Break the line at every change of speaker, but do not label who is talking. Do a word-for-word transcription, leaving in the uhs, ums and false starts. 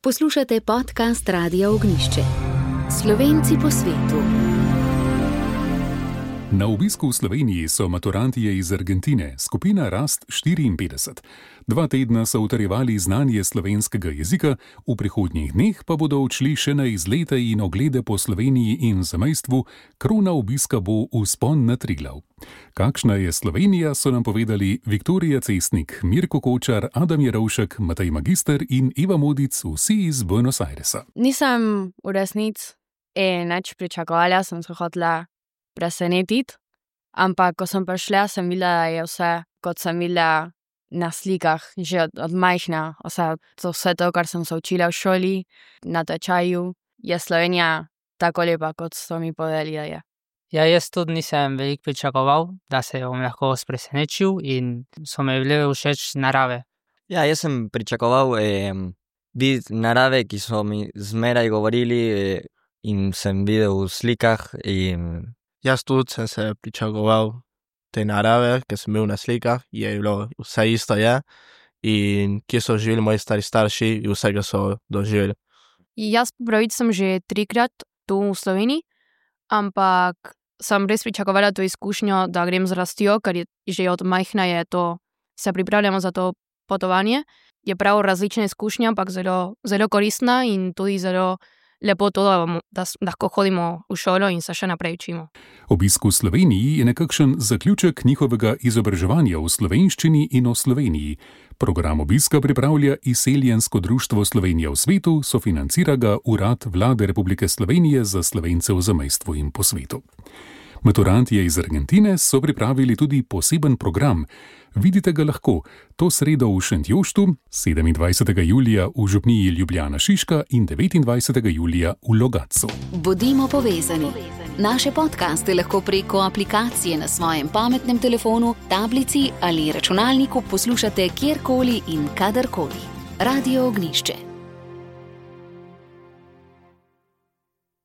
Poslušate podcast Radia Ognjišče. Slovenci po svetu.
Na obisku v Sloveniji so maturantje iz Argentine, skupina Rast štiriinpetdeset. Dva tedna so utrjevali znanje slovenskega jezika, v prihodnjih dneh pa bodo odšli še na izlete in oglede po Sloveniji in zamejstvu, krona obiska bo vzpon na Triglav. Kakšna je Slovenija, so nam povedali Viktorija Cestnik, Mirko Kočar, Adam Jerovšek, Matej Magister in Eva Modic, vsi iz Buenos Airesa.
Nisem v resnici nič pričakovala, sem se hotela presenetiti, ampak ko sem prišla, sem videla, da je vse, kot sem videla na slikah, že od, od majhna. Vse to, vse to, kar sem se učila v šoli, na tečaju, je Slovenija tako lepa, kot so mi povedali, da je.
Ja, jaz tudi nisem veliko pričakoval, da se bom lahko presenečil in so me bile všeč narave.
Ja, jaz sem pričakoval eh, videti narave, ki so mi zmeraj govorili eh, in sem videl v slikah in
Jaz tudi sem se pričakoval te narave, ker sem bil na slikah, je bilo vse isto je, in kje so živeli moji stari starši in vsega so doživeli.
Jaz pravic sem že trikrat tu v Sloveniji, ampak sem res pričakovala to izkušnjo, da grem z rastjo, ker je že od majhna je to, se pripravljamo za to potovanje. Je prav različna izkušnja, ampak zelo, zelo koristna in tudi zelo lepo to, da, da lahko hodimo v šolo in se še naprej učimo.
Obisk v Sloveniji je nekakšen zaključek njihovega izobraževanja v slovenščini in o Sloveniji. Program obiska pripravlja Izseljensko društvo Slovenija v svetu, sofinancira ga Urad Vlade Republike Slovenije za Slovence v zamejstvu in po svetu. Maturantje iz Argentine so pripravili tudi poseben program. Vidite ga lahko to sredo v Šentjoštu, sedemindvajsetega julija v župniji Ljubljana Šiška in devetindvajsetega julija v Logatcu.
Bodimo povezani. Naše podcaste lahko preko aplikacije na svojem pametnem telefonu, tablici ali računalniku poslušate kjerkoli in kadarkoli. Radio Ognjišče.